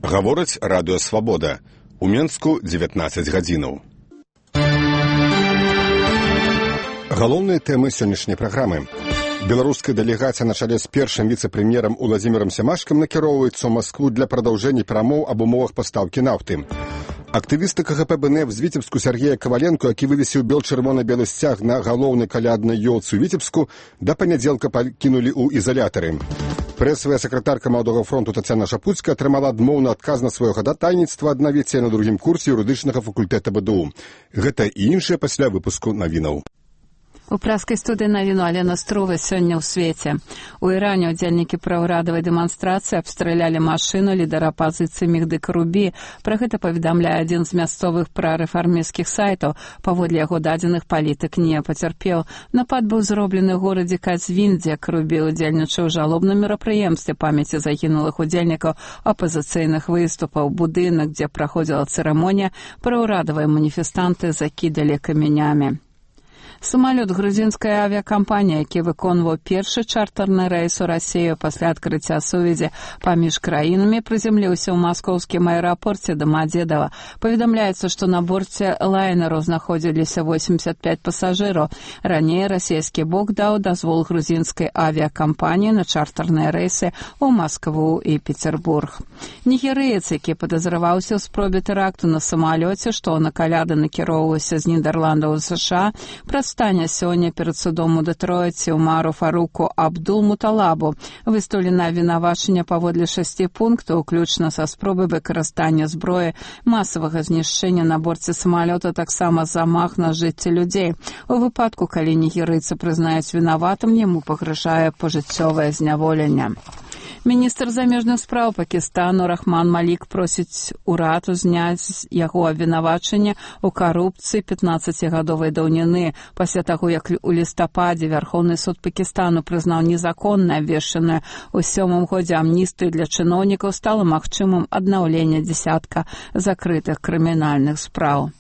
Гаворыць радыё «Свабода». У Менску 19 гадзінаў. Галоўныя тэмы сённяшняй праграмы. Беларуская дэлегацыя на чале з першым віцэ-прэм'ерам Уладзімірам Сямашкам накіроўваецца ў Маскву для прадаўжэння перамоў аб умовах пастаўкі нафты. Актывісты КГП БНФ з Віцебску Сергея Каваленко, які вывесіў бел-чырвона-белы сцяг на галоўнай каляднай ёлцы ў Віцебску, да панядзелка пакінулі ў ізалятары. Прэсавая сакратарка Маладога фронту Тацяна Шапуцкая атрымала адмоўны адказ на сваё хадатайніцтва аднавіць на другім курсе юрыдычнага факультэта БДУ. Гэта і іншае пасля выпуску навінаў. У праскай студыі навіну Алена Струва сёння ў свеце. У Іране ўдзельнікі праўрадавай дэманстрацыі абстралялі машыну лідара апазіцыі Мехды Карубі. Пра гэта паведамляе адзін з мясцовых прарэфармісцкіх сайтаў. Паводле яго дадзеных палітык не пацярпеў. Напад быў зроблены ў горадзе Казвін, дзе Карубі ўдзельнічаў у жалобным мерапрыемстве памяці загінулых удзельнікаў апазіцыйных выступаў. Будынак, дзе праходзіла цырымонія, праўрадавыя маніфестанты закідалі камянямі. Самалёт грузінскай авіакампаніі, які выконваў першы чартарны рэйс у Расію пасля адкрыцця сувязі паміж краінамі, прыземліўся ў маскоўскім аэрапорце Дамадзедава. Паведамляецца, што на борце лайнеру знаходзіліся 85 пасажыраў. Раней расійскі бок даў дазвол грузінскай авіакампаніі на чартарныя рэйсы ў Маскву і Петербург. Нігерыец, які падазраваўся ў спробе тэракту на самалёце, што на каляды накіроўваўся з Нідерландаў у США, стане сёння перад судом у Дэтройце Умару Фаруку Абдул-Муталабу. Выстаўлена абвінавачанне паводле 6 пунктаў, уключна са спробай выкарыстання зброі, масавага знішчэння на борце самалёта, таксама замах на жыцці людзей. У выпадку, калі нігерыйцы прызнаюць вінаватым, яму пагражае пажыццёвае зняволенне. Міністр замежных спраў Пакістану Рахман Малік просіць урад узняць яго абвінавачанне ў карупцыі 15-гадовай даўніны. Пасля таго, як у лістападзе Вярхоўны суд Пакістану прызнаў незаконна абвешчаную ў 7-м годзе амністыю для чыноўнікаў, стала магчымым аднаўленне дзясятка закрытых крымінальных спраў.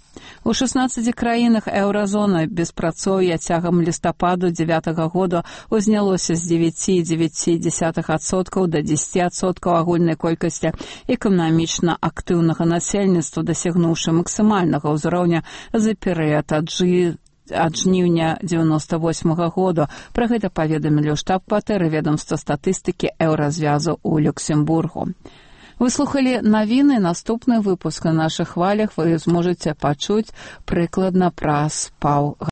У 16 краінах еўразоны беспрацоўе цягам лістападу 9-го года узнялося з 9,9% да 10% агульнай колькасці эканамічна актыўнага насельніцтва, дасягнуўшы максімальнага ўзроўня за перыяд ад жніўня 98-го года. Пра гэта паведамілі ў штаб-кватэры ведамства статыстыкі еўразвязу ў Люксембургу. Вы слухали навіны. Наступны выпуск на нашых хвалях вы зможаце пачуць прыкладна праз